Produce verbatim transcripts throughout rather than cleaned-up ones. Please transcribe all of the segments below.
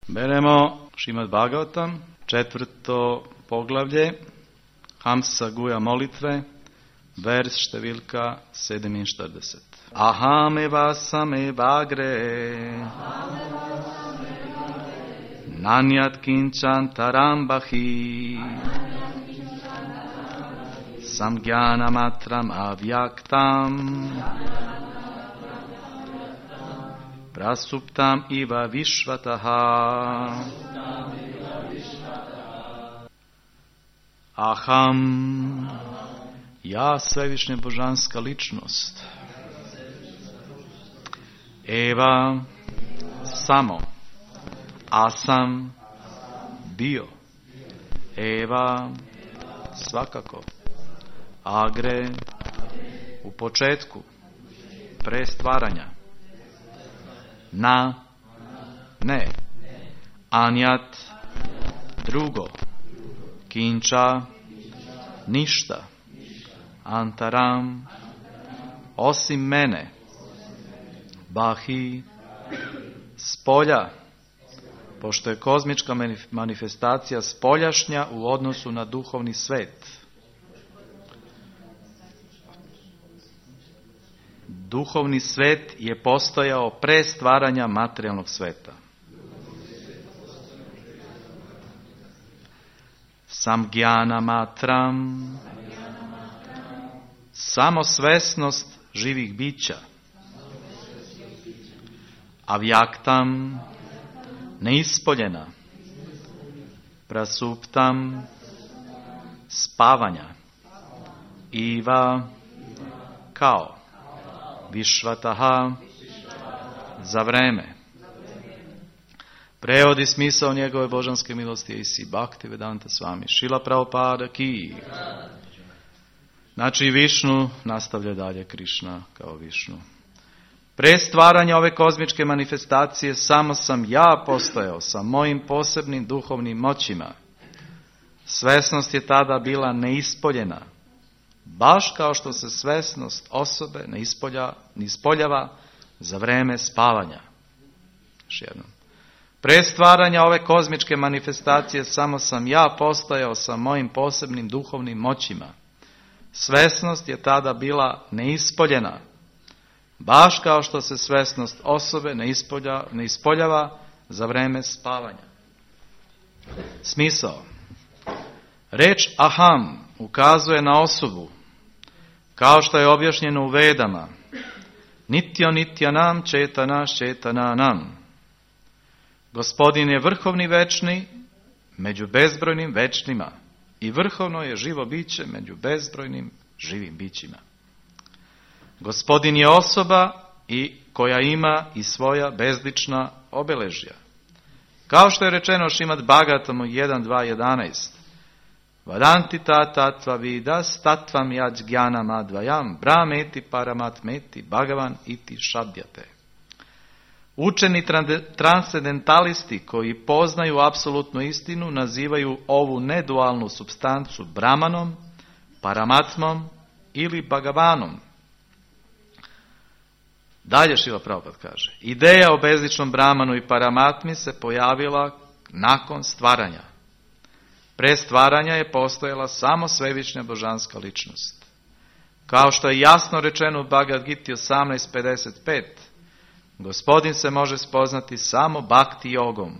Beremo Šrimad Bhagavatam, četvrto poglavlje, Hamsa Guja molitve, vers številka sedeminštirideset. Ahame same bagre, nanjat kinčan tarambahi, samgyana matram avyaktam, prasuptam iva vishvataha. Aham, ja svevišnja božanska ličnost. Eva, samo. Asam, bio. Eva, svakako. Agre, u početku, pre stvaranja. Na, ne. Anjat, drugo. Kinča, ništa. Antaram, osim mene. Bahi, spolja, pošto je kozmička manifestacija spoljašnja u odnosu na duhovni svet. Duhovni svet je postojao pre stvaranja materijalnog sveta. Samgyana matram, samosvesnost živih bića. Avyaktam, neispoljena. Prasuptam, spavanja. Iva, kao. Višvataha, za vreme. Prevodi smisao njegove božanske milosti je isi Bhakti Vedanta Swami Šrila Prabhupada ki. Znači Višnu nastavlja dalje Krišna kao Višnu. Pre stvaranja ove kozmičke manifestacije samo sam ja postojao sa mojim posebnim duhovnim moćima. Svesnost je tada bila neispoljena. Baš kao što se svesnost osobe ne ispolja, ne ispoljava za vreme spavanja. Još jednom. Pre stvaranja ove kozmičke manifestacije samo sam ja postojao sa mojim posebnim duhovnim moćima. Svesnost je tada bila neispoljena. Baš kao što se svesnost osobe ne, ispolja, ne ispoljava za vreme spavanja. Smisao. Reč aham ukazuje na osobu, kao što je objašnjeno u Vedama. Nitya nityanam četana četananam. Gospodin je vrhovni večni među bezbrojnim večnima i vrhovno je živo biće među bezbrojnim živim bićima. Gospodin je osoba i koja ima i svoja bezlična obeležja. Kao što je rečeno Šrimad Bhagavatamu jedan dva jedanaest. Vadanti ta tatva vidas tatvam yaj gyanam advayam brahmeti paramatmeti bhagavan iti šabdjate. Učeni transcendentalisti koji poznaju apsolutnu istinu nazivaju ovu nedualnu supstancu Brahmanom, Paramatmom ili Bhagavanom. Dalje Šrila Prabhupada kaže, ideja o bezličnom Brahmanu i Paramatmi se pojavila nakon stvaranja. Pre stvaranja je postojala samo svevišnja božanska ličnost. Kao što je jasno rečeno u Bhagavad Giti osamnaest pedeset pet, Gospodin se može spoznati samo bhakti jogom.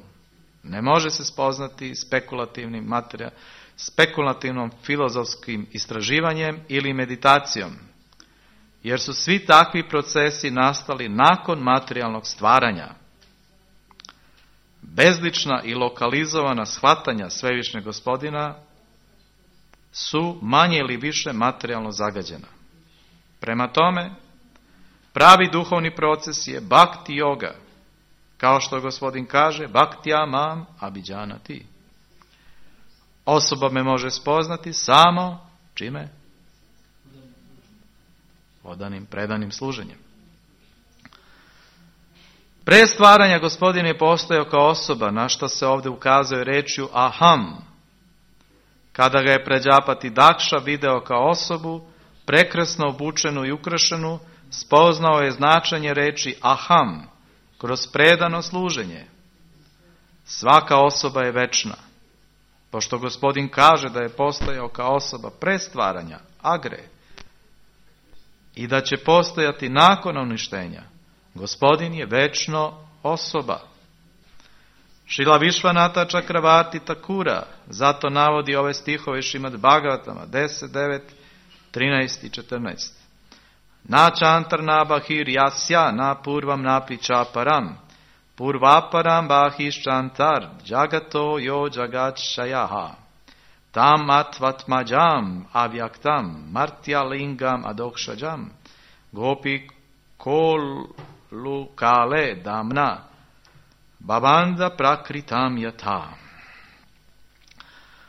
Ne može se spoznati spekulativnim materija, spekulativnom filozofskim istraživanjem ili meditacijom. Jer su svi takvi procesi nastali nakon materijalnog stvaranja. Bezlična i lokalizovana shvatanja svevišnjeg Gospodina su manje ili više materijalno zagađena. Prema tome, pravi duhovni proces je bhakti yoga. Kao što Gospodin kaže, bhaktya mam abhidžanati. Osoba me može spoznati samo čime? Odanim, predanim služenjem. Pre stvaranja Gospodin je postojao kao osoba, na što se ovdje ukazuje rečju aham. Kada ga je Prađapati Dakša video kao osobu, prekrasno obučenu i ukrašenu, spoznao je značenje reči aham kroz predano služenje. Svaka osoba je večna. Pošto Gospodin kaže da je postojao kao osoba pre stvaranja, agre, i da će postojati nakon uništenja, Gospodin je večno osoba. Šrila Višvanata Čakravarti Takura zato navodi ove stihove Šrimad Bhagavatama deset, devet, trinaest i četrnaest. Na čantar na bahir jasya na purvam na pičaparam purvaparam bahiš čantar jagato yo jagat shayaha tam atvatmajam avyaktam martya lingam adokshajam gopi kolu kale damna babanda prakritam yata.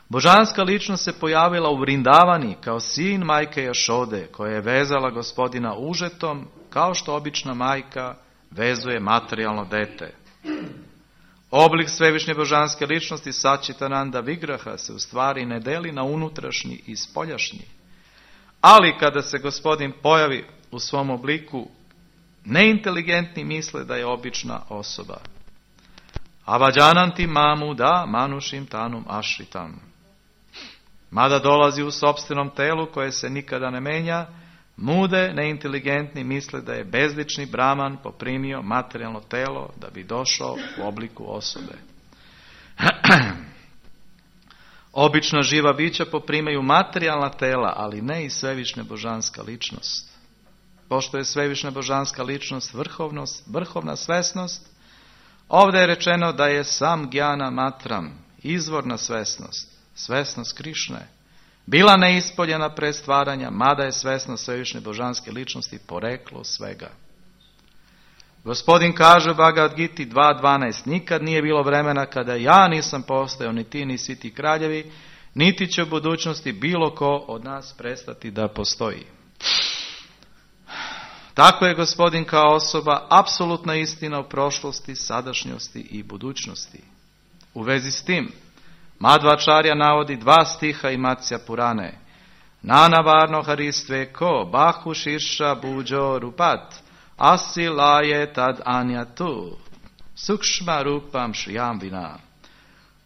Božanska ličnost se pojavila u Vrindavani kao sin majke Jašode, koja je vezala Gospodina užetom, kao što obična majka vezuje materijalno dete. Oblik svevišnje božanske ličnosti Sačitananda Vigraha se u stvari ne deli na unutrašnji i spoljašnji. Ali kada se Gospodin pojavi u svom obliku, neinteligentni misle da je obična osoba. Avađananti mamu da manušim tanum ašritam. Mada dolazi u sopstvenom telu koje se nikada ne menja, mude, neinteligentni misle da je bezlični Brahman poprimio materijalno telo da bi došao u obliku osobe. Obična živa bića poprimaju materijalna tela, ali ne i svevišnja božanska ličnost. Pošto je svevišnja božanska ličnost vrhovnost, vrhovna svesnost, ovdje je rečeno da je sam Gjana Matram, izvorna svesnost, svesnost Krišne, bila neispoljena pre stvaranja, mada je svesnost svevišnje božanske ličnosti poreklo svega. Gospodin kaže u Bhagavad Giti dva dvanaest, nikad nije bilo vremena kada ja nisam postojao, ni ti, ni svi ti kraljevi, niti će u budućnosti bilo ko od nas prestati da postoji. Tako je Gospodin kao osoba apsolutna istina u prošlosti, sadašnjosti i budućnosti. U vezi s tim, Madhvačarja navodi dva stiha i Matsya Purane. Nanavarno haristve ko bahu širša buđo rupat, asi laje tad anjatu, sukšma rupam šrijam vina.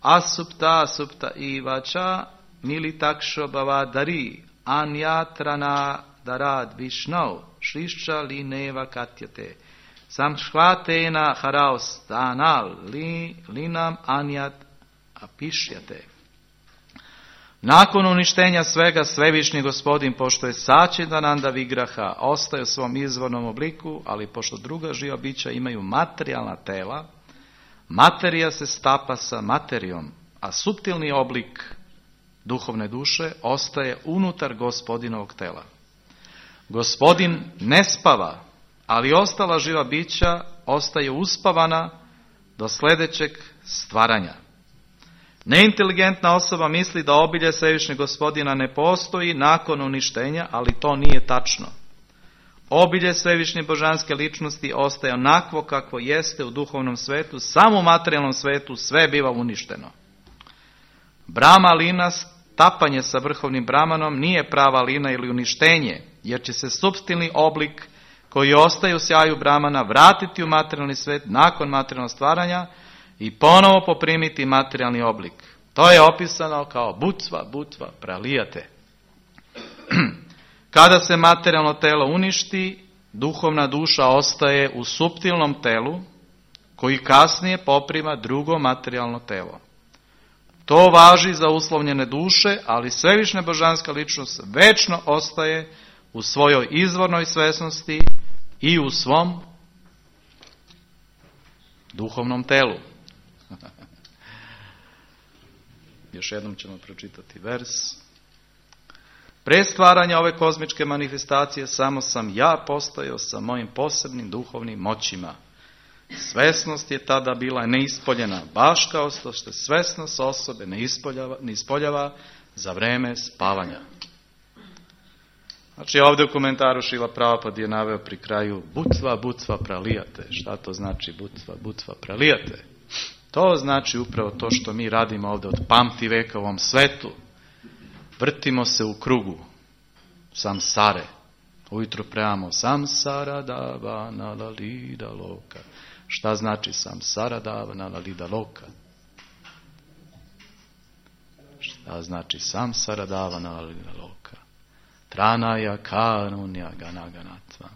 Asupta asupta ivača militakšo bavadari, anjatrana darad višnau, šrišča li neva katjate. Samšhvatena haraostanal, li, linam anjat apišjate. Nakon uništenja svega, svevišnji Gospodin, pošto je Sačidananda Vigraha, ostaje u svom izvornom obliku, ali pošto druga živa bića imaju materijalna tela, materija se stapa sa materijom, a suptilni oblik duhovne duše ostaje unutar Gospodinovog tela. Gospodin ne spava, ali ostala živa bića ostaje uspavana do sljedećeg stvaranja. Neinteligentna osoba misli da obilje svevišnjeg Gospodina ne postoji nakon uništenja, ali to nije tačno. Obilje svevišnje božanske ličnosti ostaje onakvo kakvo jeste u duhovnom svetu, samo u materijalnom svetu sve biva uništeno. Brahma lina, stapanje sa vrhovnim Brahmanom, nije prava lina ili uništenje, jer će se supstilni oblik koji ostaje u sjaju Brahmana vratiti u materijalni svet nakon materijalnog stvaranja i ponovo poprimiti materijalni oblik. To je opisano kao butva, butva, pralijate. Kada se materijalno telo uništi, duhovna duša ostaje u suptilnom telu, koji kasnije poprima drugo materijalno telo. To važi za uslovljene duše, ali svevišnja božanska ličnost večno ostaje u svojoj izvornoj svesnosti i u svom duhovnom telu. Još jednom ćemo pročitati vers. Pre stvaranja ove kozmičke manifestacije samo sam ja postojao sa mojim posebnim duhovnim moćima. Svesnost je tada bila neispoljena, baš kao što se svesnost osobe ne ispoljava, ne ispoljava za vreme spavanja. Znači ovdje u komentaru Šrila Prabhupada je naveo pri kraju butva, butva pralijate. Šta to znači butva, butva pralijate? To znači upravo to što mi radimo ovdje od pamti veka u ovom svetu. Vrtimo se u krugu samsare. Ujutro prejamo samsara dava nalalida loka. Šta znači samsara dava nalalida loka? A znači samsara davana loka. Tranaya karunya ganaganatva.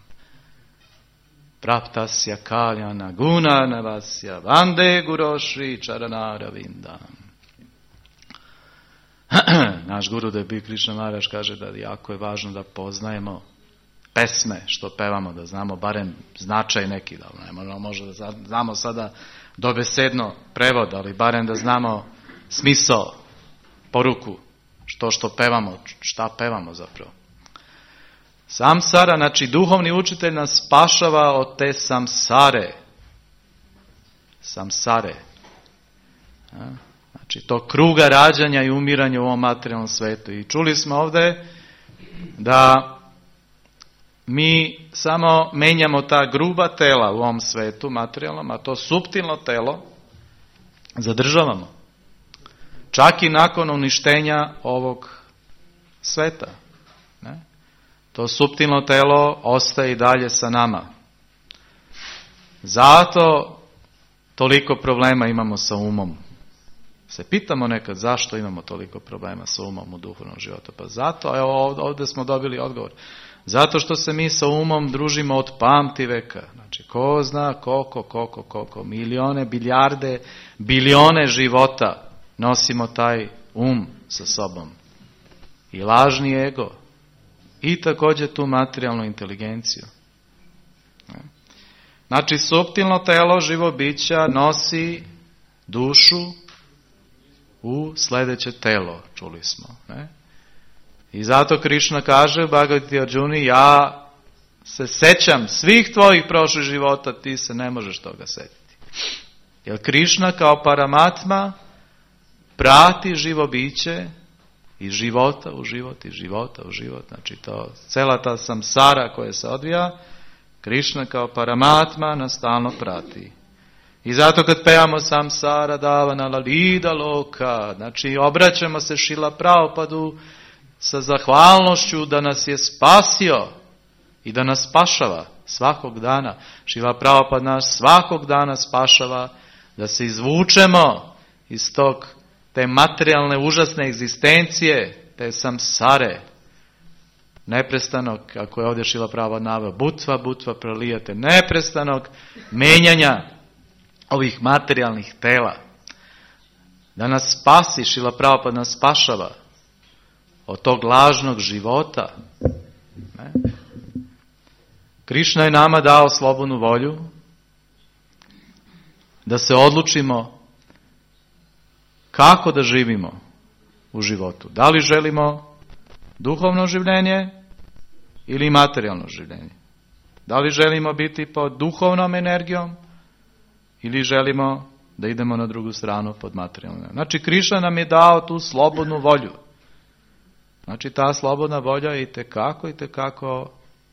Praptasya kalyana guna navasya vande guroshri charanara vindam. Naš Gurudev Big Krishna Maharaj kaže da jako je važno da poznajemo pesme što pevamo, da znamo barem značaj neki, da ne možemo možda da znamo sada dobesedno prevod, ali barem da znamo smisao, poruku, što što pevamo, šta pevamo zapravo. Samsara, znači duhovni učitelj nas spašava od te samsare. Samsare. Znači to kruga rađanja i umiranja u ovom materijalnom svetu. I čuli smo ovdje da mi samo menjamo ta gruba tela u ovom svetu materijalnom, a to suptilno telo zadržavamo. Čak i nakon uništenja ovog sveta. Ne? To suptilno telo ostaje i dalje sa nama. Zato toliko problema imamo sa umom. Se pitamo nekad zašto imamo toliko problema sa umom u duhovnom životu. Pa zato, evo ovdje smo dobili odgovor. Zato što se mi sa umom družimo od pamti veka. Znači, ko zna koliko, koliko, koliko, milione, biljarde, bilione života nosimo taj um sa sobom. I lažni ego. I također tu materijalnu inteligenciju. Znači, suptilno telo živo bića nosi dušu u sljedeće telo, čuli smo. Ne? I zato Krišna kaže u Bhagavati Arjuni, ja se sećam svih tvojih prošlih života, ti se ne možeš toga setiti. Jer Krišna kao Paramatma prati živo biće iz života u život, iz života u život. Znači to, cela ta samsara koja se odvija, Krišna kao Paramatma nas stalno prati. I zato kad pevamo samsara davana lalida loka, znači obraćamo se Šrila Prabhupadu sa zahvalnošću da nas je spasio i da nas spašava svakog dana. Šrila Prabhupada nas svakog dana spašava da se izvučemo iz tog, te materijalne užasne egzistencije, te samsare. Neprestanog, kako je ovdje Šrila Prabhupada naveo, butva, butva pralijate, neprestanog menjanja ovih materijalnih tela. Da nas spasi, Šrila Prabhupada nas spašava od tog lažnog života. Ne? Krišna je nama dao slobodnu volju da se odlučimo kako da živimo u životu. Da li želimo duhovno življenje ili materijalno življenje? Da li želimo biti pod duhovnom energijom ili želimo da idemo na drugu stranu pod materijalnom energijom? Znači, Krišna nam je dao tu slobodnu volju. Znači, ta slobodna volja i tekako, i tekako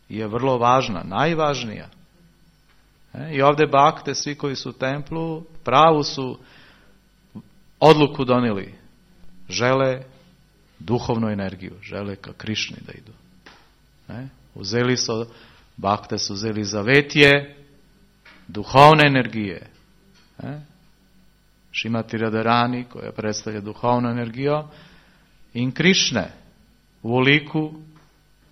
je vrlo važna, najvažnija. E, I ovdje bakte, svi koji su u templu, pravu su odluku donijeli. Žele duhovnu energiju, žele ka Krišni da idu. E, uzeli su, bakte su uzeli zavetije, duhovne energije. E, Šrimati Radharani, koja predstavlja duhovnu energiju, in Krišne, u liku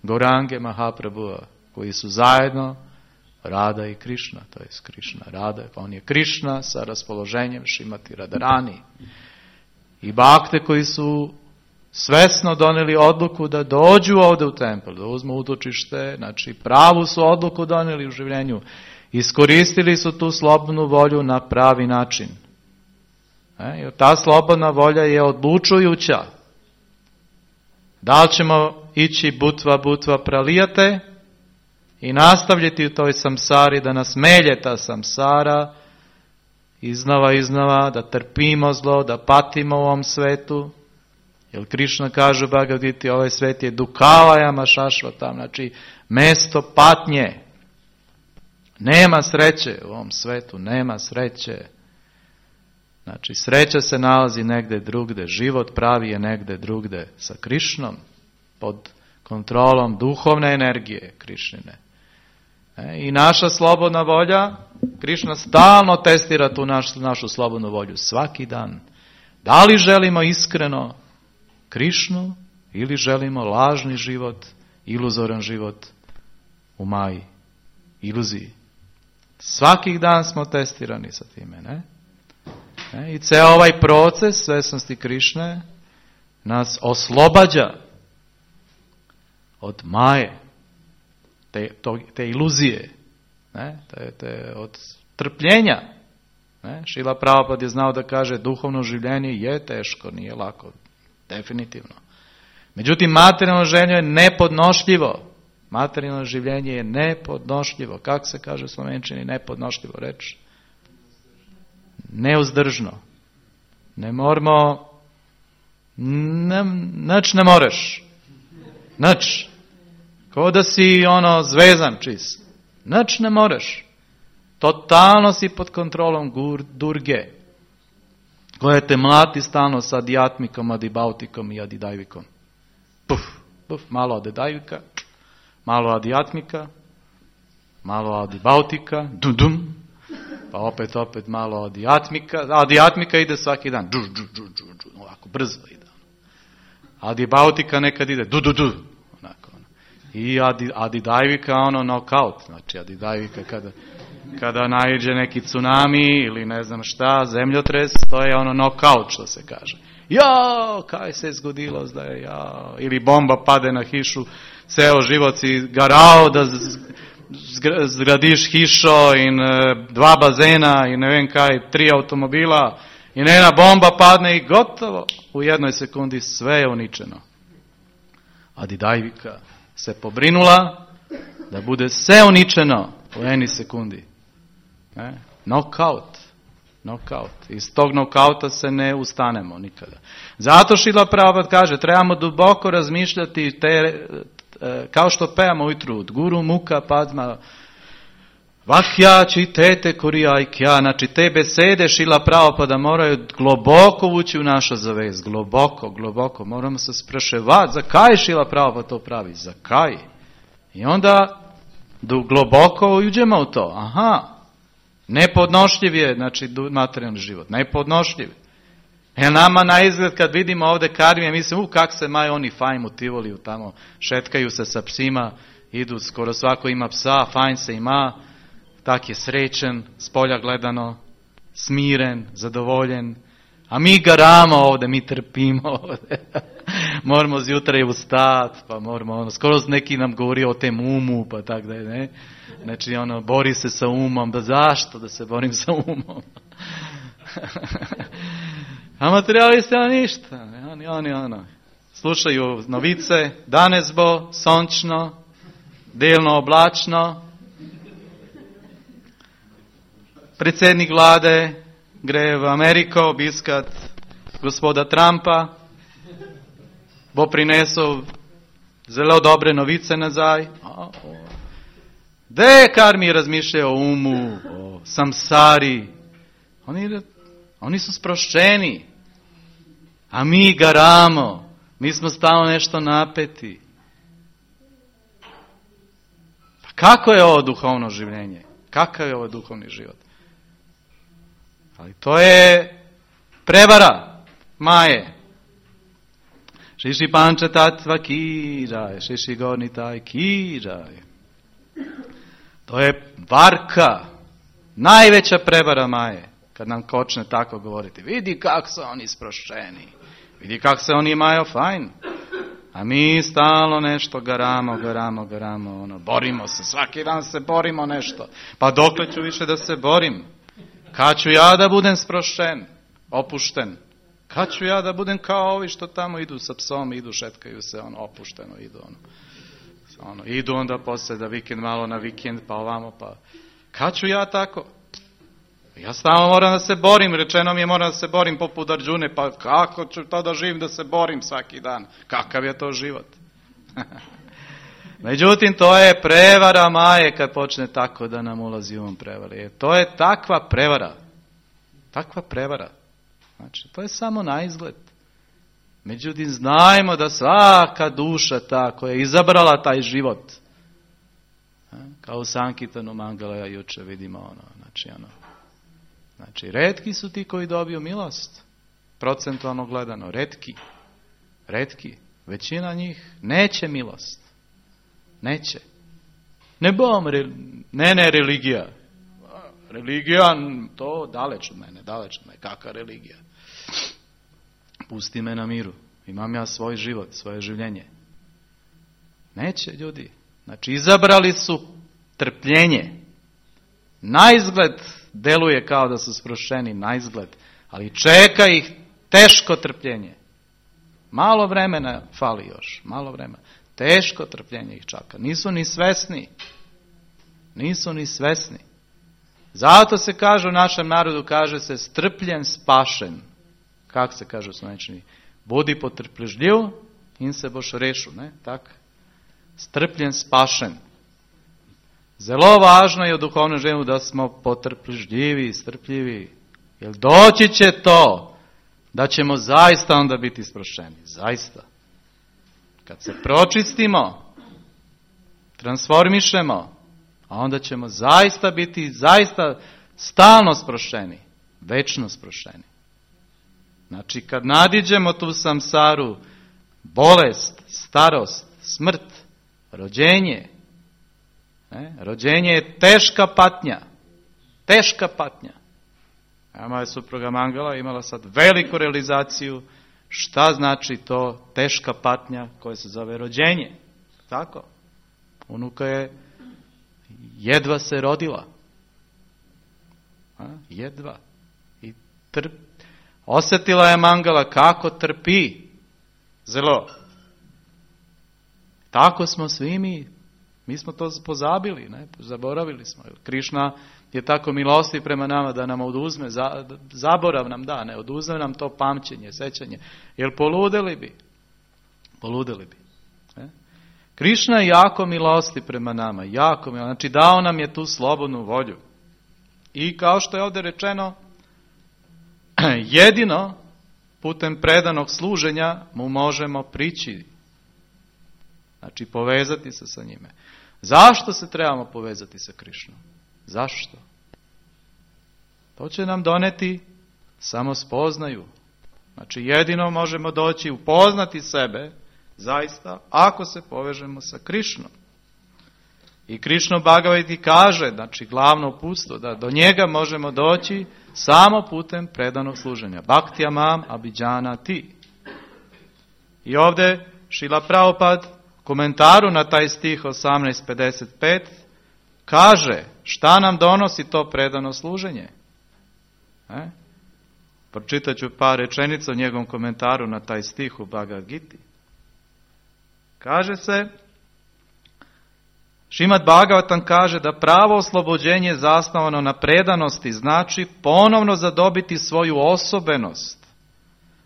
Gaurange Mahaprabhua, koji su zajedno Rada i Krišna, to je Krišna Rada, pa on je Krišna sa raspoloženjem Šrimati Radharani. I bakte koji su svesno donijeli odluku da dođu ovdje u tempel, da uzmu utočište, znači pravu su odluku donijeli u življenju, iskoristili su tu slobodnu volju na pravi način. E, jer ta slobodna volja je odlučujuća. Da li ćemo ići butva, butva pralijate i nastavljati u toj samsari, da nas melje ta samsara iznova, iznova, da trpimo zlo, da patimo u ovom svetu. Jer Krišna kaže u Bhagavad-giti, ovaj svet je dukavajama šašvatam, znači mesto patnje. Nema sreće u ovom svetu, nema sreće. Znači, sreća se nalazi negde drugde, život pravi je negde drugde sa Krišnom, pod kontrolom duhovne energije Krišnine. E, I naša slobodna volja, Krišna stalno testira tu našu, našu slobodnu volju, svaki dan. Da li želimo iskreno Krišnu ili želimo lažni život, iluzoran život u maji, iluziji. Svakih dan smo testirani sa time, ne? ne? I ceo ovaj proces svesnosti Krišne nas oslobađa od maje, te, to, te iluzije, ne? Te, te, od trpljenja. Ne? Šrila Prabhupada je znao da kaže duhovno življenje je teško, nije lako, definitivno. Međutim, materijalno življenje je nepodnošljivo. Materijalno življenje je nepodnošljivo. Kako se kaže u slovenčini nepodnošljivo reč? Neuzdržno. Ne moramo, ne, nač ne moreš. Nač. Kao da si ono zvezan čist. Nač ne moreš. Totalno si pod kontrolom gur, durge. Koja te mlati stalno sa adijatmikom, adibautikom i adidajvikom. Puf, puf, malo adidajvika, malo adijatmika, malo adibautika, dum dum, pa opet, opet malo adijatmika. Adijatmika ide svaki dan, džu, džu, džu, džu, džu, ovako brzo ide. Adibautika nekad ide, du, du, du, onako. I adi, adidajvika ono knockout, znači adidajvika kada... Kada naiđe neki tsunami ili ne znam šta, zemljotres, to je ono knockout što se kaže. Jao, kaj se je zgodilo zdaj, jao. Ili bomba pade na hišu, ceo život si garao da zgradiš hišo in dva bazena i ne vem kaj, tri automobila i nena bomba padne i gotovo. U jednoj sekundi sve je uničeno. Adidajvika se pobrinula da bude sve uničeno u eni sekundi. Ne? Knockout. Knockout. Iz tog knockouta se ne ustanemo nikada. Zato Šrila Prabhupada kaže, trebamo duboko razmišljati, te, kao što pevamo ujutru, od Guru Muka Padma, Vahja čitete kurijajkja, znači te besede Šrila Prabhupada moraju globoko ući u našu zavest, globoko, globoko, moramo se spraševati, zakaj Šrila Prabhupada to pravi, zakaj? I onda globoko uđemo u to, aha, nepodnošljiv je, znači, materijalni život. Nepodnošljiv. Jer nama na izgled kad vidimo ovdje karmije, mislim, u kak se maju oni fajn u Tivoliju tamo, šetkaju se sa psima, idu, skoro svako ima psa, fajn se ima, tak je srećen, s polja gledano, smiren, zadovoljen. A mi garamo ovdje, mi trpimo ovdje. Moramo zjutra i ustati, pa moramo, ono, skoro neki nam govori o tem umu, pa tak da je, ne. Znači, ono, bori se sa umom, da zašto da se borim sa umom? A materijalisti, ono, ništa, ne, oni, oni, ono, slušaju novice, danes bo sončno, delno oblačno, predsjednik vlade gre v Ameriko obiskat gospoda Trumpa, bo prinesel zelo dobre novice nazaj. Gde kar mi razmišljajo o umu, o samsari? Oni, oni su sproščeni, a mi garamo, mi smo stalno nešto napeti. Pa kako je ovo duhovno življenje? Kakav je ovo duhovni život? Ali to je prevara maje. Šiši panča tatva kiraj, šiši gornitaj kiraj. To je varka, najveća prevara maje, kad nam počne tako govoriti. Vidi kak su oni sproščeni, vidi kak se oni imaju fajn. A mi stalno nešto garamo, garamo, garamo, ono, borimo se, svaki dan se borimo nešto. Pa dokle ću više da se borim? Kad ću ja da budem sproščen, opušten? Kad ću ja da budem kao ovi što tamo idu sa psom, idu, šetkaju se, ono, opušteno idu, ono. Ono, idu onda poslije da vikend malo na vikend, pa ovamo, pa... Kad ću ja tako? Ja stalno moram da se borim, rečeno mi je moram da se borim poput Arđune, pa kako ću to da živim da se borim svaki dan? Kakav je to život? Međutim, to je prevara maje kad počne tako da nam ulazi u ovom prevari. To je takva prevara. Takva prevara. Znači, to je samo na izgled. Međutim, znajmo da svaka duša ta koja je izabrala taj život, kao u Sankirtanu Mangala juče vidimo ono, znači ono, znači retki su ti koji dobiju milost, procentualno gledano, retki. retki, većina njih neće milost. Neće. Ne bom, ne, ne, religija. Religija, to daleć od mene, daleć od mene. Kakva religija? Pusti me na miru. Imam ja svoj život, svoje življenje. Neće, ljudi. Znači, izabrali su trpljenje. Naizgled deluje kao da su sprošćeni, naizgled. Ali čeka ih teško trpljenje. Malo vremena fali još, malo vremena. Teško trpljenje ih čaka. Nisu ni svesni. Nisu ni svesni. Zato se kaže u našem narodu, kaže se strpljen spašen. Kako se kaže u slovenčini? Budi potrpežljiv in se boš rešil, ne? Tak? Strpljen spašen. Zelo važno je u duhovnom življenju da smo potrpežljivi, strpljivi. Jer doći će to da ćemo zaista onda biti sprošćeni. Zaista. Kad se pročistimo, transformišemo, a onda ćemo zaista biti, zaista stalno sprošćeni. Večno sprošćeni. Znači, kad nadiđemo tu samsaru, bolest, starost, smrt, rođenje, ne? Rođenje je teška patnja. Teška patnja. A moja supruga Mangala imala sad veliku realizaciju šta znači to teška patnja koja se zove rođenje. Tako? Unuka je jedva se rodila. A? Jedva. I trp. Osjetila je Mangala kako trpi. Zelo. Tako smo svi mi. Mi smo to pozabili, ne? Zaboravili smo. Krišna je tako milosti prema nama da nam oduzme, zaborav nam da, ne oduzme nam to pamćenje, sećanje. Jer poludeli bi. Poludeli bi. Ne? Krišna je jako milosti prema nama, jako milosti. Znači dao nam je tu slobodnu volju. I kao što je ovdje rečeno, jedino putem predanog služenja mu možemo prići. Znači povezati se sa njime. Zašto se trebamo povezati sa Krišnom? Zašto? To će nam doneti samo spoznaju. Znači jedino možemo doći upoznati sebe zaista ako se povežemo sa Krišnom. I Krišna Bhagavati kaže, znači glavno uputstvo, da do njega možemo doći samo putem predanog služenja. Bhaktya mam abhijana ti. I ovdje Šrila Prabhupada komentaru na taj stih osamnaest pedeset pet kaže šta nam donosi to predano služenje. E? Pročitat ću par rečenica u njegovom komentaru na taj stih u Bhagavad Giti. Kaže se, Šrimad Bhagavatam kaže da pravo oslobođenje zasnovano na predanosti znači ponovno zadobiti svoju osobenost,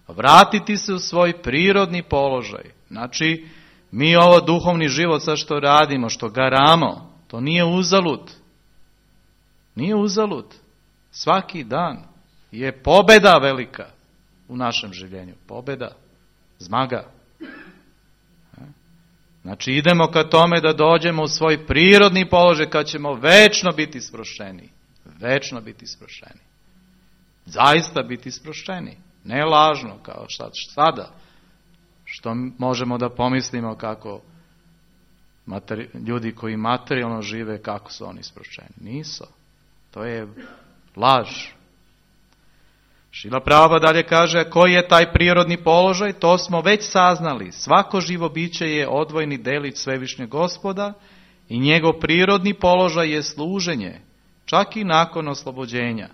vratiti se u svoj prirodni položaj. Znači, mi ovo duhovni život sad što radimo, što garamo, to nije uzalud. Nije uzalud. Svaki dan je pobeda velika u našem življenju. Pobeda, zmaga. Znači idemo ka tome da dođemo u svoj prirodni položaj kad ćemo večno biti sprošćeni. Večno biti sprošćeni. Zaista biti sprošćeni. Ne lažno kao šta, sada. Što možemo da pomislimo kako materi, ljudi koji materijalno žive, kako su oni sprošćeni. Nisu. To je laž. Šrila Prabhupada dalje kaže, koji je taj prirodni položaj? To smo već saznali. Svako živo biće je odvojni delić Svevišnjeg Gospoda i njegov prirodni položaj je služenje, čak i nakon oslobođenja.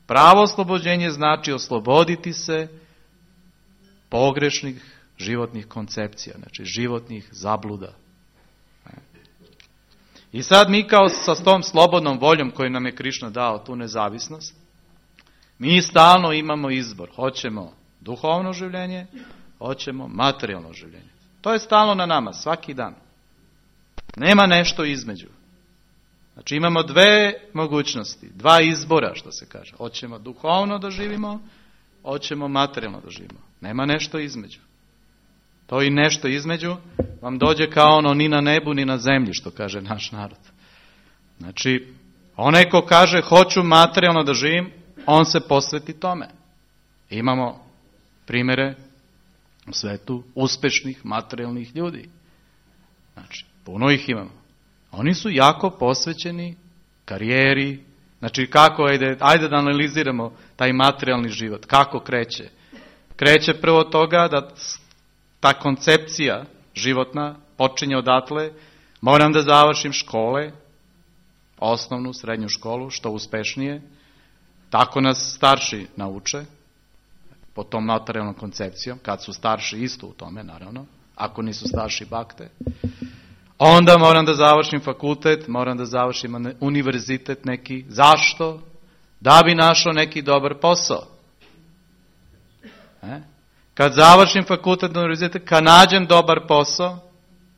Pravo oslobođenje znači osloboditi se pogrešnih životnih koncepcija, znači životnih zabluda. I sad mi kao sa tom slobodnom voljom koju nam je Krišna dao, tu nezavisnost, mi stalno imamo izbor. Hoćemo duhovno življenje, hoćemo materijalno življenje. To je stalno na nama, svaki dan. Nema nešto između. Znači imamo dve mogućnosti, dva izbora što se kaže. Hoćemo duhovno da živimo, hoćemo materijalno da živimo. Nema nešto između. To i nešto između vam dođe kao ono ni na nebu ni na zemlji, što kaže naš narod. Znači, onaj ko kaže hoću materijalno da živim, on se posveti tome. Imamo primjere u svetu uspešnih materijalnih ljudi. Znači, puno ih imamo. Oni su jako posvećeni karijeri. Znači, kako, ajde, ajde da analiziramo taj materijalni život. Kako kreće? Kreće prvo toga da ta koncepcija životna počinje odatle. Moram da završim škole, osnovnu, srednju školu, što uspešnije. Tako nas starši nauče, po tom materijalnom koncepcijom, kad su starši isto u tome, naravno, ako nisu starši bakte. Onda moram da završim fakultet, moram da završim univerzitet neki. Zašto? Da bi našao neki dobar posao. E? Kad završim fakultet, univerzitet, kad nađem dobar posao,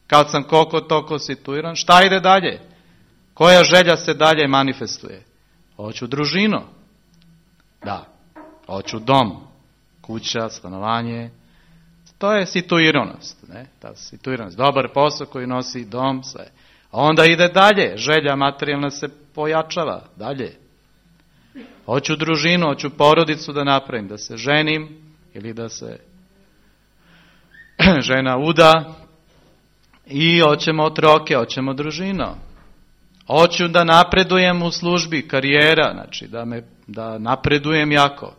kad sam koliko toliko situiran, šta ide dalje? Koja želja se dalje manifestuje? Hoću družinu. Da. Hoću dom. Kuća, stanovanje. To je situiranost. Ne? Ta situiranost. Dobar posao koji nosi dom, sve. A onda ide dalje. Želja materijalna se pojačava. Dalje. Hoću družinu, hoću porodicu da napravim. Da se ženim ili da se žena uda. I hoćemo otroke, hoćemo družinu. Hoću da napredujem u službi, karijera, znači da, me, da napredujem jako.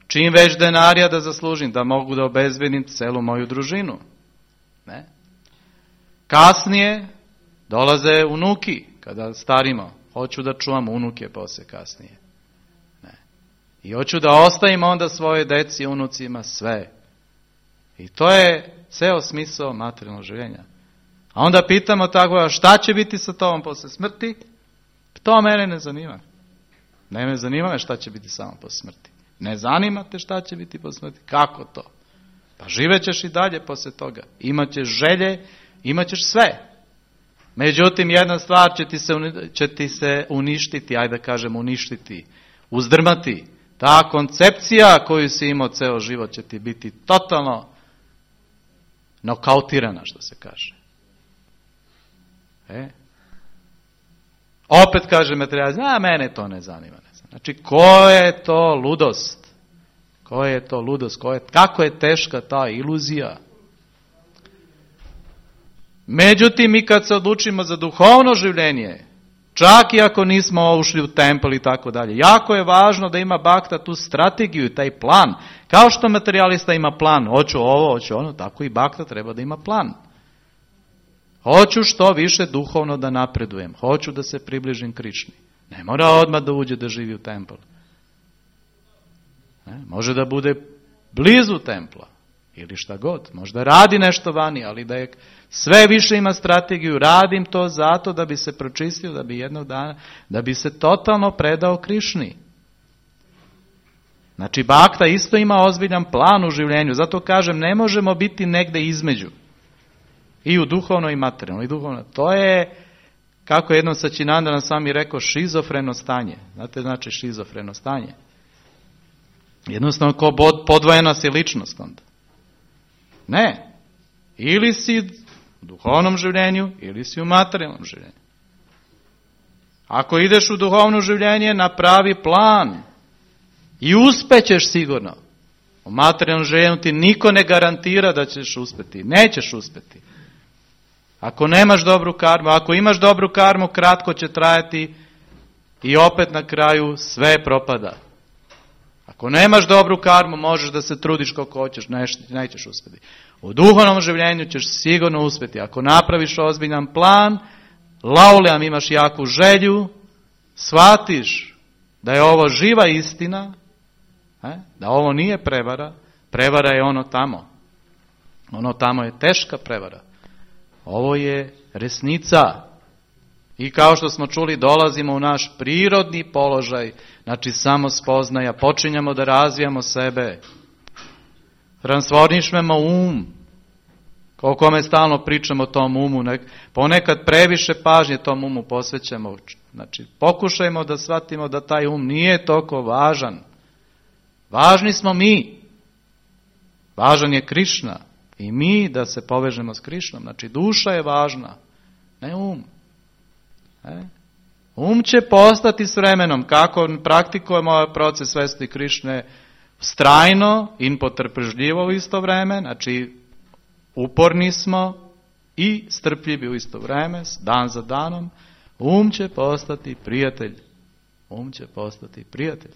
Čim već denarija da zaslužim, da mogu da obezbedim celu moju družinu. Ne? Kasnije dolaze unuki, kada starimo. Hoću da čuvam unuke posle kasnije. Ne? I hoću da ostavim onda svoje deci i unucima sve. I to je ceo smisao materijalnog življenja. A onda pitamo tako, šta će biti sa tobom posle smrti? To mene ne zanima. Ne me zanima me šta će biti samo posle smrti. Ne zanima te šta će biti posle smrti. Kako to? Pa živećeš i dalje posle toga. Imaćeš želje, imaćeš sve. Međutim, jedna stvar će ti se, će ti se uništiti, ajde da kažem uništiti, uzdrmati. Ta koncepcija koju si imao ceo život će ti biti totalno nokautirana, što se kaže. E? Opet kaže materijal, zna, mene to ne zanima. Ne znam. Znači, ko je to ludost? Ko je to ludost? Ko je, kako je teška ta iluzija? Međutim, mi kad se odlučimo za duhovno življenje, čak i ako nismo ušli u tempel i tako dalje, jako je važno da ima bakta tu strategiju i taj plan. Kao što materijalista ima plan, hoću ovo, hoću ono, tako i bakta treba da ima plan. Hoću što više duhovno da napredujem. Hoću da se približim Krišni. Ne mora odmah da uđe da živi u templu. Ne, može da bude blizu templa. Ili šta god. Možda radi nešto vani, ali da je sve više ima strategiju. Radim to zato da bi se pročistio, da bi jednog dana, da bi se totalno predao Krišni. Znači, bakta isto ima ozbiljan plan u življenju. Zato kažem, ne možemo biti negde između. I u duhovno i materijalno. I duhovno. To je, kako jednom Sačinandana sam mi rekao, šizofreno stanje. Znate, znači šizofreno stanje. Jednostavno, ko podvojena si ličnost onda. Ne. Ili si u duhovnom življenju, ili si u materijalnom življenju. Ako ideš u duhovno življenje, napravi plan. I uspećeš sigurno. U materijalnom življenju ti niko ne garantira da ćeš uspeti. Nećeš uspeti. Ako nemaš dobru karmu, ako imaš dobru karmu, kratko će trajati i opet na kraju sve propada. Ako nemaš dobru karmu, možeš da se trudiš koliko hoćeš, nećeš uspeti. U duhovnom življenju ćeš sigurno uspeti. Ako napraviš ozbiljan plan, lauljam, imaš jaku želju, shvatiš da je ovo živa istina, da ovo nije prevara, prevara je ono tamo. Ono tamo je teška prevara. Ovo je resnica. I kao što smo čuli, dolazimo u naš prirodni položaj, znači samo spoznaja, počinjamo da razvijamo sebe. Transformišemo um. O kome stalno pričamo o tom umu. Ponekad previše pažnje tom umu posvećamo. Znači, pokušajmo da shvatimo da taj um nije toliko važan. Važni smo mi. Važan je Krišna. I mi da se povežemo s Krišnom. Znači, duša je važna, ne um. E? Um će postati s vremenom. Kako praktikujemo ovaj proces svesti Krišne, strajno in potrpežljivo u isto vreme, znači uporni smo i strpljivi u isto vreme, dan za danom, um će postati prijatelj. Um će postati prijatelj.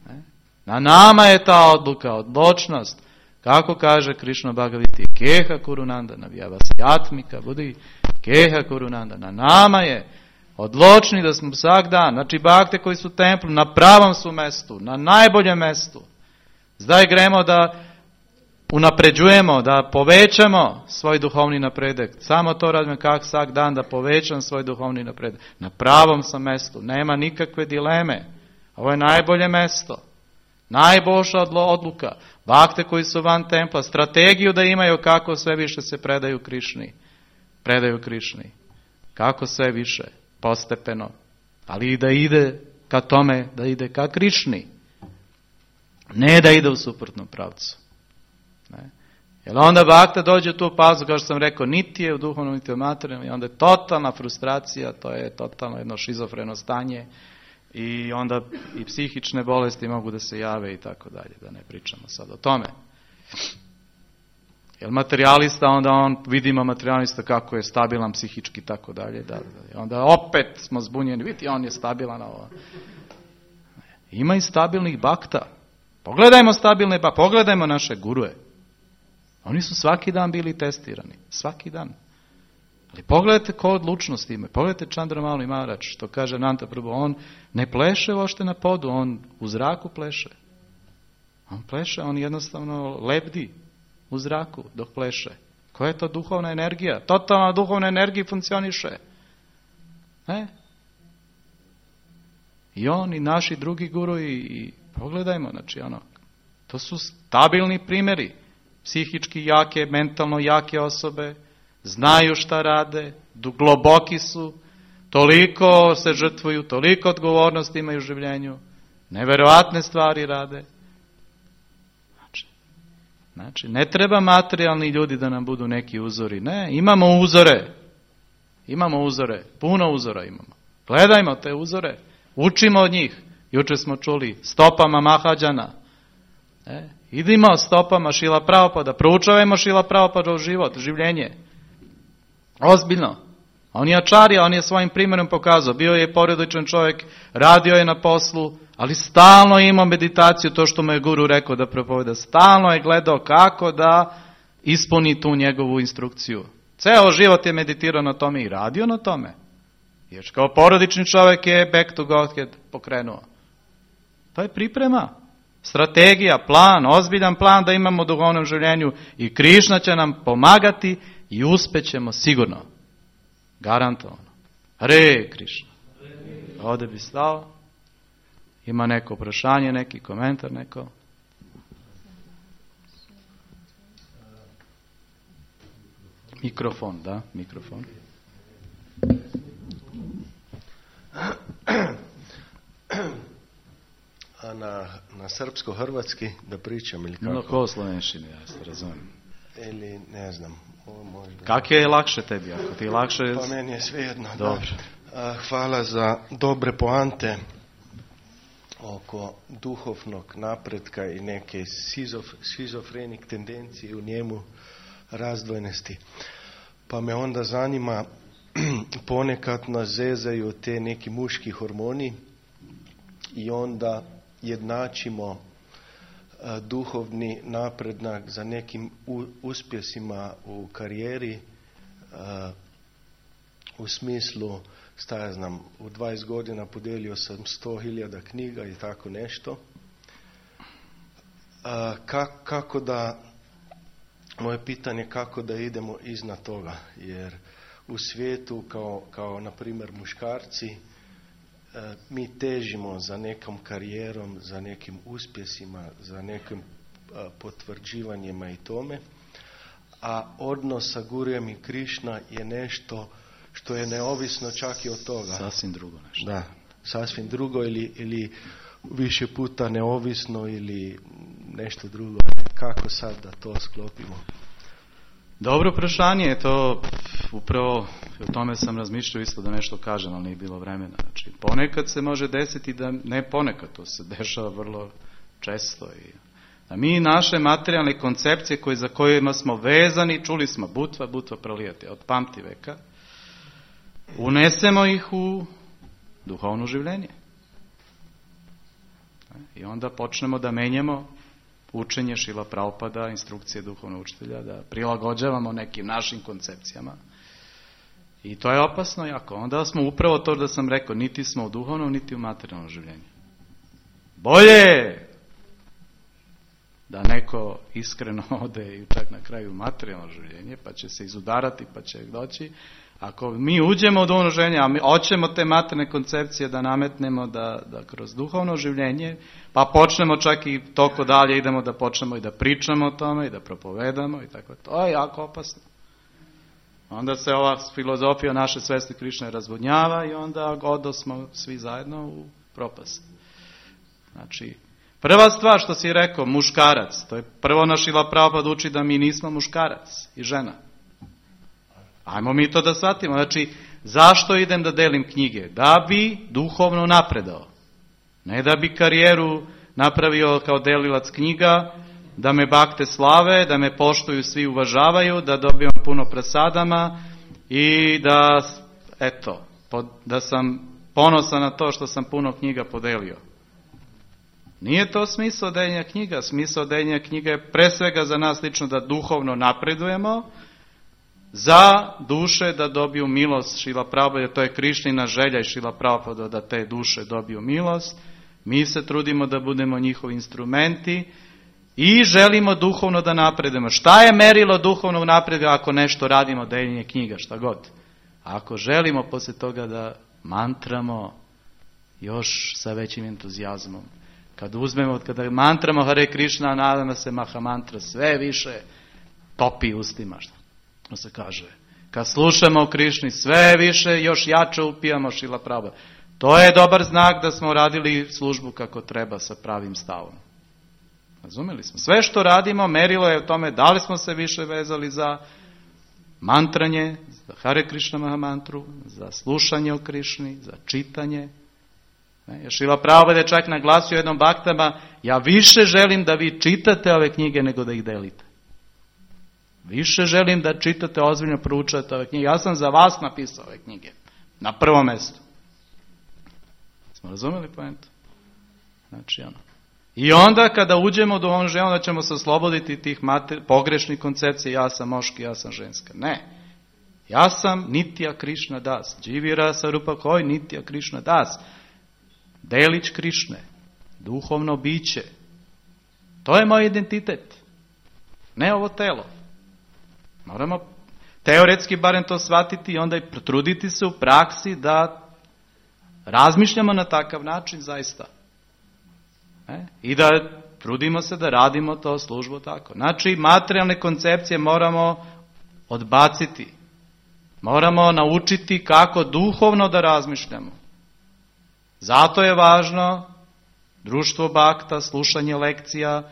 Ne? Na nama je ta odluka, odlučnost. Kako kaže Krišna Bhagavati, keha kurunanda, navijavasjatmika, budi keha kurunanda. Na nama je odlučni da smo svak dan, znači bakte koji su u templu, na pravom su mestu, na najboljem mestu. Zdaj gremo da unapređujemo, da povećamo svoj duhovni napredek. Samo to radim kak svak dan da povećam svoj duhovni napredek. Na pravom sam mestu, nema nikakve dileme. Ovo je najbolje mesto. Najbolša odluka. Bakte koji su van templa, strategiju da imaju kako sve više se predaju Krišni. Predaju Krišni. Kako sve više, postepeno. Ali i da ide ka tome, da ide ka Krišni. Ne da ide u suprotnom pravcu. Ne? Jer onda bakta dođe u tu pazu, kao što sam rekao, niti je u duhovnom, niti u materijalnom, i onda je totalna frustracija, to je totalno jedno šizofreno stanje, i onda i psihične bolesti mogu da se jave i tako dalje, da ne pričamo sad o tome. Jer materijalista, onda on, vidimo materijalista kako je stabilan psihički i tako dalje, da, da, onda opet smo zbunjeni, vidi, on je stabilan. Ovo. Ima i stabilnih bakta. Pogledajmo stabilne bakte, pogledajmo naše gurue. Oni su svaki dan bili testirani, svaki dan. Ali pogledajte ko odlučnost ima. Pogledajte Čandramali Maharač, što kaže Ananta Prabhu, on ne pleše ošte na podu, on u zraku pleše. On pleše, on jednostavno lebdi u zraku dok pleše. Koja je to duhovna energija? Totalna duhovna energija funkcioniše. Ne? I on i naši drugi guru i, i pogledajmo, znači ono, to su stabilni primjeri. Psihički jake, mentalno jake osobe, znaju šta rade, globoki su, toliko se žrtvuju, toliko odgovornosti imaju u življenju, neverovatne stvari rade. Znači, znači, ne treba materijalni ljudi da nam budu neki uzori. Ne, imamo uzore. Imamo uzore, puno uzora imamo. Gledajmo te uzore, učimo od njih. Juče smo čuli stopama Mahađana. E, idimo stopama Šila Prabhupada, proučavajmo Šila Prabhupada u život, življenje. Ozbiljno. On je ačarija, on je svojim primjerom pokazao. Bio je porodičan čovjek, radio je na poslu, ali stalno je imao meditaciju, to što mu je guru rekao da propoveda. Stalno je gledao kako da ispuni tu njegovu instrukciju. Ceo život je meditirao na tome i radio na tome. Jer kao porodični čovjek je back to Godhead pokrenuo. To je priprema. Strategija, plan, ozbiljan plan da imamo u duhovnom življenju i Krišna će nam pomagati i uspećemo sigurno. Garantovano. Hare Krišna. Ovdje bi stao. Ima neko prašanje, neki komentar, neko? Mikrofon, da, mikrofon. A na, na srpsko-hrvatski da pričam ili kako? No, ko slovenšini, ja se razumijem. Ili ne znam. Ovo možda... Kak je lakše tebi? Ako ti je lakše... Pa meni je svejedno. Dobro. Da. Hvala za dobre poante oko duhovnog napretka i neke sizof, šizofrenik tendencije u njemu, razdvojenosti. Pa me onda zanima, ponekad nas zezaju te neki muški hormoni i onda jednačimo a, duhovni napredak za nekim u, uspjesima u karijeri, a, u smislu, šta ja znam, u dvadeset godina podijelio sam sto hiljada knjiga i tako nešto. A, kak, kako da, moje pitanje kako da idemo iznad toga, jer u svijetu kao, kao na primjer muškarci, mi težimo za nekom karijerom, za nekim uspjesima, za nekim potvrđivanjima i tome, a odnos sa Gurujem i Krišna je nešto što je neovisno čak i od toga. Sasvim drugo nešto. Da, sasvim drugo ili, ili više puta neovisno ili nešto drugo. Kako sad da to sklopimo? Dobro prašanje je to, upravo o tome sam razmišljao isto da nešto kažem, ali nije bilo vremena. Znači, ponekad se može desiti da, ne ponekad, to se dešava vrlo često. I da mi naše materijalne koncepcije koje, za kojima smo vezani, čuli smo butva, butva prolijati od pamti veka, unesemo ih u duhovno življenje. I onda počnemo da menjamo učenje Šrila Prabhupada, instrukcije duhovnog učitelja, da prilagođavamo nekim našim koncepcijama. I to je opasno jako. Onda smo upravo to da sam rekao, niti smo u duhovnom, niti u materijalnom življenju. Bolje da neko iskreno ode i čak na kraju materijalno življenje, pa će se izudarati, pa će doći. Ako mi uđemo u duhovno življenje, a mi hoćemo te materijalne koncepcije da nametnemo da, da kroz duhovno življenje, pa počnemo čak i toko dalje, idemo da počnemo i da pričamo o tome i da propovedamo i tako. To je jako opasno. Onda se ova filozofija naše svesti Krišne razvodnjava i onda odosmo svi zajedno u propast. Znači, prva stvar što si rekao, muškarac, to je prvo naš Šrila Prabhupada uči da mi nismo muškarac i žena. Ajmo mi to da shvatimo. Znači, zašto idem da delim knjige? Da bi duhovno napredao. Ne da bi karijeru napravio kao delilac knjiga, da me bakte slave, da me poštuju, svi uvažavaju, da dobijem puno presadama i da, eto, da sam ponosan na to što sam puno knjiga podelio. Nije to smisao deljenja knjiga. Smisao deljenja knjiga je pre svega za nas lično da duhovno napredujemo, za duše da dobiju milost Šrila Prabhupada, to je Krišnina želja i Šrila Prabhupada da te duše dobiju milost. Mi se trudimo da budemo njihovi instrumenti i želimo duhovno da napredujemo. Šta je merilo duhovnog napretka ako nešto radimo, deljenje knjiga, šta god? Ako želimo poslije toga da mantramo još sa većim entuzijazmom, kad uzmemo, kada mantramo Hare Krishna, nadamo se Maha mantra sve više topi ustima, što se kaže. Kad slušamo o Krišni, sve više, još jače upijamo Šrila Prabhupada. To je dobar znak da smo radili službu kako treba sa pravim stavom. Razumeli smo? Sve što radimo, merilo je u tome da li smo se više vezali za mantranje, za Hare Krishna Maha mantru, za slušanje o Krišni, za čitanje. Šrila Prabhupada je čak naglasio jednom baktama, ja više želim da vi čitate ove knjige nego da ih delite. Više želim da čitate, ozbiljno proučavate ove knjige. Ja sam za vas napisao ove knjige. Na prvom mjestu. Smo razumeli pojentu? Znači, ono. I onda kada uđemo u duhovno življenje, onda ćemo se osloboditi tih mater, pogrešnih koncepcija, ja sam moški, ja sam ženska. Ne. Ja sam Nitya Krishna Das. Dživira Sarupa Koi, Nitya Krishna Das. Delić Krišne. Duhovno biće. To je moj identitet. Ne ovo telo. Moramo teoretski barem to shvatiti i onda i potruditi se u praksi da razmišljamo na takav način zaista. E? I da trudimo se da radimo to službu tako. Znači, materijalne koncepcije moramo odbaciti. Moramo naučiti kako duhovno da razmišljamo. Zato je važno društvo bakta, slušanje lekcija,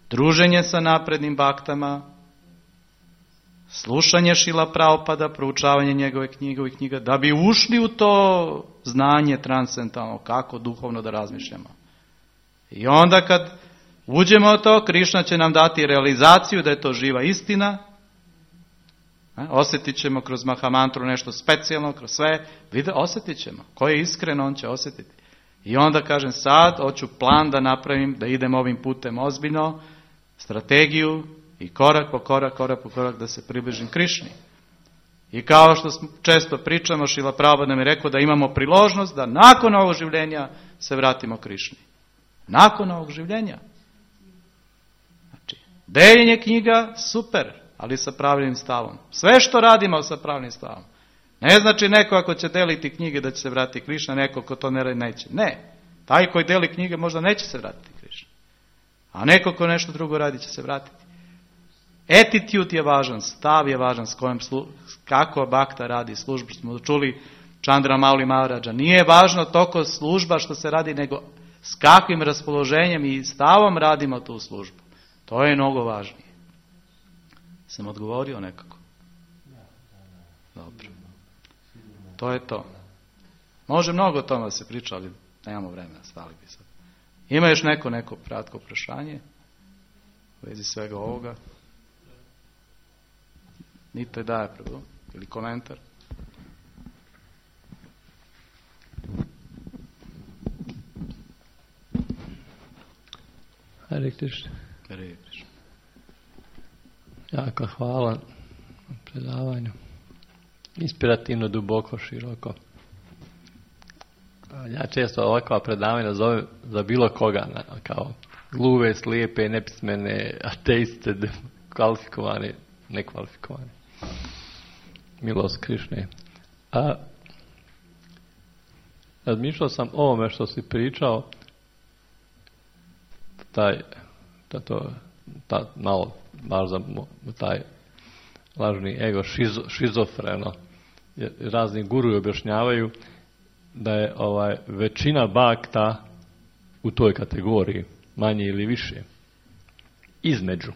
druženje sa naprednim baktama, slušanje Šrila Prabhupada, proučavanje njegove knjige i knjiga, da bi ušli u to znanje transcendentalno, kako duhovno da razmišljamo. I onda kad uđemo u to, Krišna će nam dati realizaciju da je to živa istina. Osjetit ćemo kroz Mahamantru nešto specijalno, kroz sve. Vide, osjetit ćemo. Ko je iskren, on će osjetiti. I onda kažem, sad hoću plan da napravim, da idem ovim putem ozbiljno, strategiju i korak po korak, korak po korak da se približim Krišni. I kao što često pričamo, Šrila Prabhupada nam je rekao da imamo priložnost da nakon ovog življenja se vratimo Krišni. Nakon ovog življenja. Znači, deljenje knjiga, super, ali sa pravilnim stavom. Sve što radimo sa pravilnim stavom. Ne znači neko ako će deliti knjige da će se vratiti Krišna, neko ko to ne radi neće. Ne. Taj koji deli knjige možda neće se vratiti Krišna. A neko ko nešto drugo radi će se vratiti. Attitude je važan, stav je važan s kojim slu, kako bakta radi službu. Smo čuli Chandra Mauli Maharaja. Nije važno toliko služba što se radi, nego s kakvim raspoloženjem i stavom radimo tu službu. To je mnogo važnije. Sam odgovorio nekako? Dobro. To je to. Može mnogo o tome da se priča, ali nemamo vremena, stali bi sad. Ima još neko, neko kratko prašanje u vezi svega ovoga? Nite daje prvo, ili komentar? Hare Krishna. Hare Krishna. Jako hvala na predavanju. Inspirativno, duboko, široko. Ja često ovakva predavanja zovem za bilo koga, kao gluve, slijepe, nepismene, ateiste, kvalifikovane, nekvalifikovane. Milost Krišne. A razmišljao sam o ovome što si pričao, taj, ta, to, ta, malo, baš za taj lažni ego, šizo, šizofreno. Jer razni guruji objašnjavaju da je ovaj većina bakta u toj kategoriji, manje ili više, između.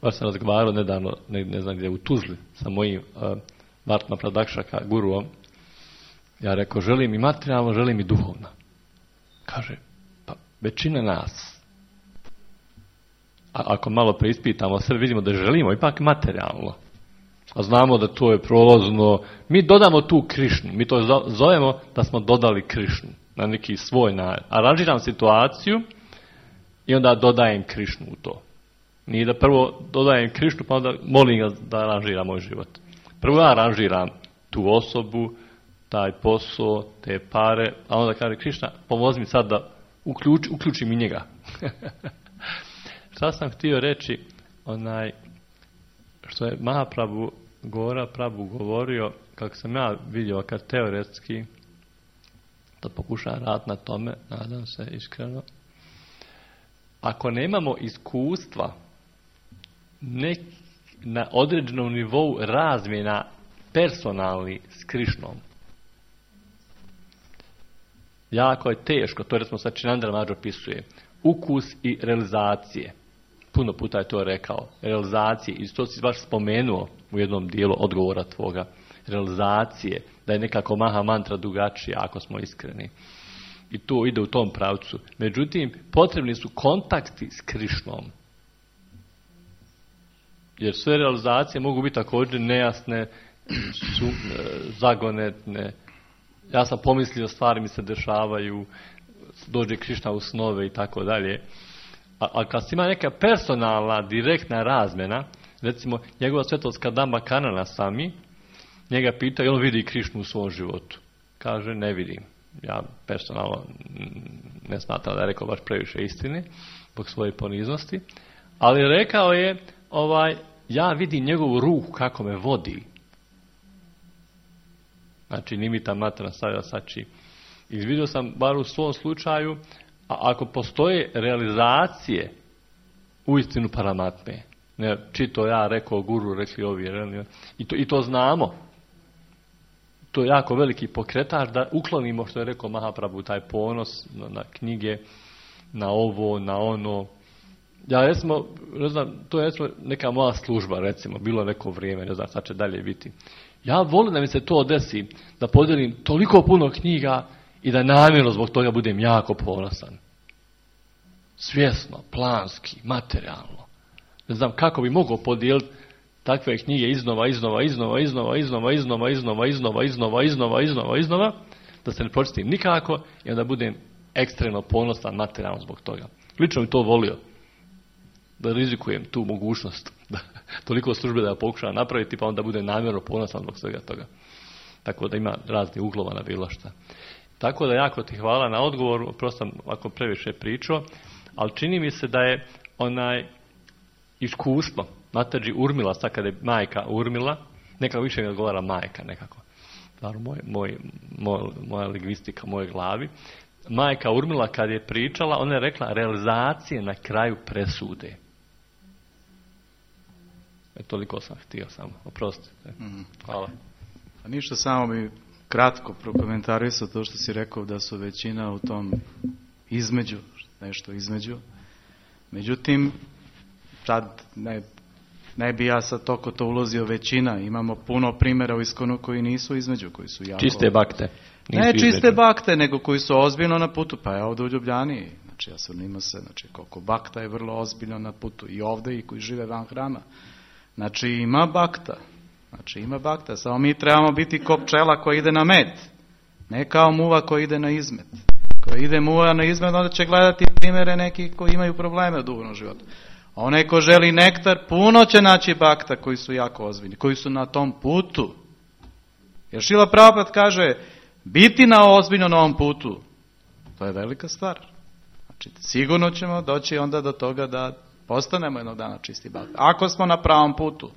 Baš sam razgovarao nedavno, ne, ne znam gdje, u Tuzli, sa mojim uh, Vartma Pradakšaka guruom. Ja rekao, želim i materijalno, želim i duhovno. Kaže, pa većina nas, a ako malo preispitamo sve, vidimo da želimo ipak materijalno. A znamo da to je prolazno. Mi dodamo tu Krišnu. Mi to zovemo da smo dodali Krišnu na neki svoj način. Aranžiram situaciju i onda dodajem Krišnu u to. Nije da prvo dodajem Krišnu pa onda molim ga da aranžira moj život. Prvo ja aranžiram tu osobu, taj posao, te pare, a onda kaže Krišna, pomozi mi sad da uključ, uključim i njega. Šta sam htio reći, onaj, što je Mahaprabhu Gora Prabhu govorio, kako sam ja vidio kad teoretski, da pokušam raditi na tome, nadam se iskreno, ako nemamo iskustva nek, na određenom nivou razmjena personalni s Krišnom, jako je teško, to recimo sad Činandra Mađo opisuje, ukus i realizacije. Puno puta je to rekao. Realizacije, i to si baš spomenuo u jednom dijelu odgovora tvoga. Realizacije, da je nekako maha mantra drugačija, ako smo iskreni. I to ide u tom pravcu. Međutim, potrebni su kontakti s Krišnom. Jer sve realizacije mogu biti također nejasne, su, zagonetne. Ja sam pomislio, stvari mi se dešavaju, dođe Krišna u snove i tako dalje. A, a kad ima neka personalna, direktna razmjena, recimo njegova svetost Kadamba Kanana Sami, njega pita, jel on vidi Krišnu u svom životu? Kaže, ne vidim. Ja personalno ne smatram da je rekao baš previše istine, zbog svoje poniznosti, ali rekao je, ovaj, ja vidim njegovu ruku kako me vodi. Znači, nimita matra stavila sači. Izvidio sam, bar u svom slučaju, a ako postoje realizacije u istinu Paramatme, ne, čito ja, rekao guru, rekli ovi, i to, i to znamo, to je jako veliki pokretač da uklonimo, što je rekao Mahaprabhu, taj ponos na, na knjige, na ovo, na ono. Ja recimo, ne znam, to je recimo neka moja služba, recimo, bilo neko vrijeme, ne znam, sad će dalje biti. Ja volim da mi se to desi, da podijelim toliko puno knjiga i da namjerno zbog toga budem jako ponosan. Svjesno, planski, materijalno. Ne znam kako bi mogao podijeliti takve knjige iznova, iznova, iznova, iznova, iznova, iznova, iznova, iznova, iznova, iznova, iznova, iznova, da se ne pročitim nikako i onda budem ekstremno ponosan materijalno zbog toga. Lično bi to volio, da rizikujem tu mogućnost, da toliko službe da ja pokušam napraviti, pa onda budem namjerno ponosan zbog svega toga. Tako da ima raznih uglova na bilo šta. Tako da jako ti hvala na odgovoru, prosto ako previše pričao, ali čini mi se da je onaj iskustvo, Mataji Urmila, sad kada je majka Urmila, nekako više mi odgovara majka nekako, stvarno moj, moj, moj, moja lingvistika, moje glavi. Majka Urmila kad je pričala, ona je rekla realizacije na kraju presude. E, toliko sam htio samo, oprostite. Mm. Hvala. A ništa, samo bi kratko prokomentarisao to što si rekao da su većina u tom između, nešto između. Međutim, sad ne ne bi ja sad toko to ulazio većina. Imamo puno primjera u Iskonu koji nisu između, koji su jako... Čiste bakte. Ne čiste između. Bakte, nego koji su ozbiljno na putu. Pa je ovdje u Ljubljani. Znači, ja sam ima se, znači, koliko bakta je vrlo ozbiljno na putu. I ovdje i koji žive van hrama. Znači, ima bakta. Znači, ima bakta. Samo mi trebamo biti ko pčela koja ide na med. Ne kao muva koja ide na izmet. Koja ide muva na izmet, onda će gledati primjere neki koji imaju probleme u duhovnom životu. Onaj ko želi nektar, puno će naći bakta koji su jako ozbiljni, koji su na tom putu. Jer Šrila Prabhupada kaže, biti na ozbiljno na ovom putu, to je velika stvar. Znači, sigurno ćemo doći onda do toga da postanemo jednog dana čisti bakta. Ako smo na pravom putu.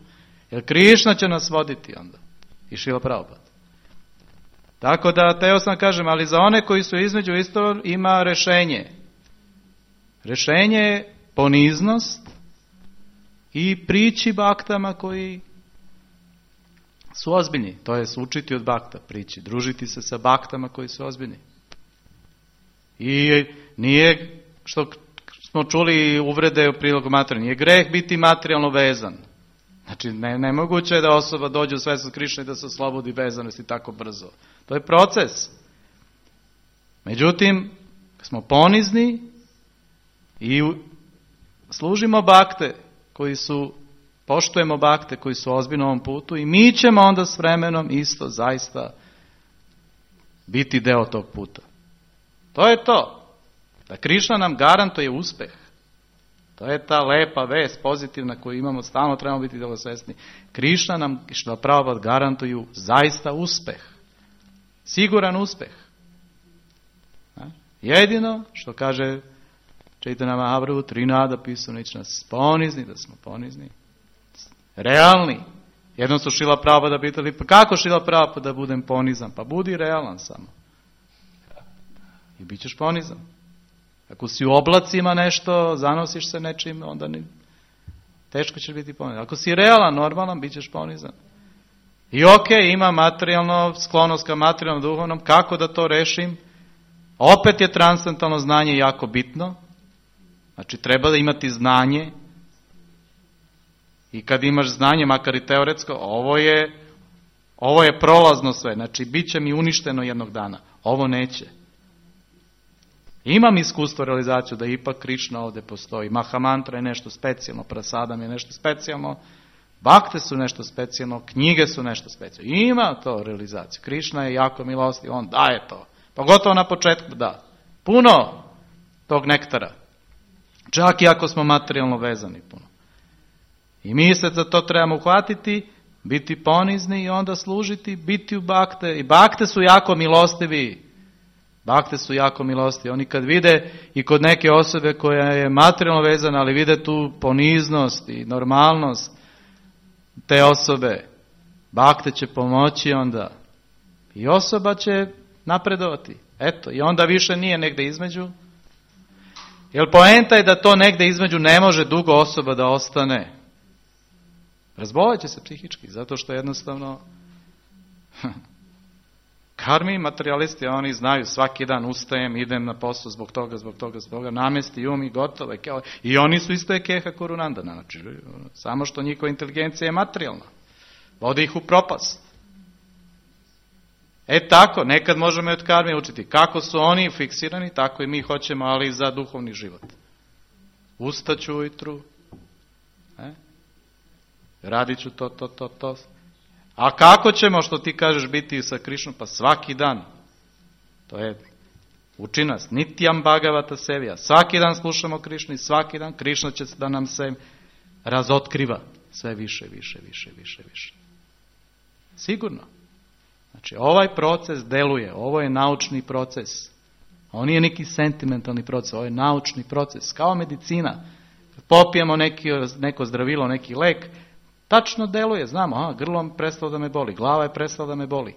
Jer Krišna će nas voditi onda. I Šrila Prabhupada. Tako da, teo sam kažem, ali za one koji su između isto ima rešenje. Rešenje je poniznost i prići baktama koji su ozbiljni. To je učiti od bakta, prići, družiti se sa baktama koji su ozbiljni. I nije, što smo čuli uvrede u prilogu materijalno, nije greh biti materijalno vezan. Znači, ne, nemoguće je da osoba dođe u svest Krišne i da se oslobodi vezanosti tako brzo. To je proces. Međutim, smo ponizni i služimo bakte koji su, poštujemo bakte koji su ozbiljno na ovom putu i mi ćemo onda s vremenom isto zaista biti deo tog puta. To je to. Da Krišna nam garantuje uspeh. To je ta lepa vest, pozitivna koju imamo, stalno trebamo biti dobro svesni. Krišna nam, što pravo garantuju, zaista uspeh. Siguran uspeh. Jedino, što kaže Čaitanja Mahaprabhu, tri nada pisano, ići nas ponizni, da smo ponizni. Realni. Jednom su Šrila Prabhupada pitali, pa kako Šrila Prabhupada da budem ponizan? Pa budi realan samo. I bit ćeš ponizan. Ako si u oblacima nešto, zanosiš se nečim, onda ni, teško ćeš biti ponizan. Ako si realan, normalan, bit ćeš ponizan. I ok, ima materijalno, sklonost ka materijalnom, duhovnom, kako da to rešim? Opet je transcendentalno znanje jako bitno. Znači, treba da imati znanje. I kad imaš znanje, makar i teoretsko, ovo je, ovo je prolazno sve. Znači, bit će mi uništeno jednog dana. Ovo neće. Imam iskustvo realizaciju da ipak Krišna ovdje postoji. Mahamantra je nešto specijalno, Prasadam je nešto specijalno, bakte su nešto specijalno, knjige su nešto specijalno. Ima to realizaciju. Krišna je jako milostiv, on daje to. Pogotovo na početku da. Puno tog nektara. Čak i ako smo materijalno vezani puno. I mi se za to trebamo uhvatiti, biti ponizni i onda služiti, biti u bakte. I bakte su jako milostivi. Bakte su jako milostivi. Oni kad vide i kod neke osobe koja je materijalno vezana, ali vide tu poniznost i normalnost te osobe, bakte će pomoći onda. I osoba će napredovati. Eto, i onda više nije negde između. Jer poenta je da to negde između ne može dugo osoba da ostane. Razbolit će se psihički, zato što jednostavno karmi, materialisti, oni znaju svaki dan ustajem, idem na posao zbog toga, zbog toga, zbog toga, namesti um i gotovo. I oni su isto je keha korunandana, znači, samo što njihova inteligencija je materijalna. Vodi ih u propast. E tako, nekad možemo i od karmi učiti. Kako su oni fiksirani, tako i mi hoćemo, ali za duhovni život. Ustaću ujutru, e? radit ću to, to, to, to. A kako ćemo, što ti kažeš, biti sa Krišnom? Pa svaki dan. To je, uči nas, Nityam Bhagavata Sevija. Svaki dan slušamo Krišnu i svaki dan Krišna će da nam se razotkriva. Sve više, više, više, više, više. Sigurno. Znači, ovaj proces deluje. Ovo je naučni proces. Ovo nije neki sentimentalni proces. Ovo je naučni proces. Kao medicina. Popijemo neki, neko zdravilo, neki lek, tačno deluje, znamo, aha, grlo prestalo da me boli, glava je prestala da me boli.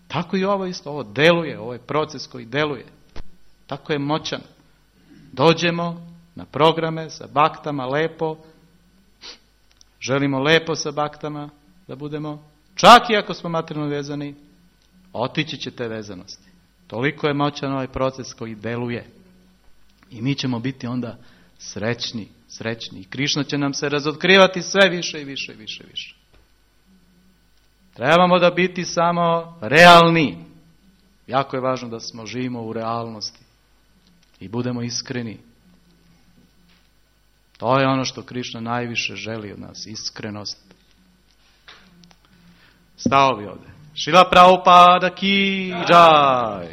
Tako i ovo isto, ovo deluje, ovo je proces koji deluje. Tako je moćan. Dođemo na programe sa baktama, lepo, želimo lepo sa baktama da budemo, čak i ako smo materijalno vezani, otići će te vezanosti. Toliko je moćan ovaj proces koji deluje. I mi ćemo biti onda srećni, srećni. I Krišna će nam se razotkrivati sve više i više i više i više. Trebamo da biti samo realni. Jako je važno da smo živimo u realnosti i budemo iskreni. To je ono što Krišna najviše želi od nas, iskrenost. Stao bi ovdje. Šrila Prabhupada ki džaj.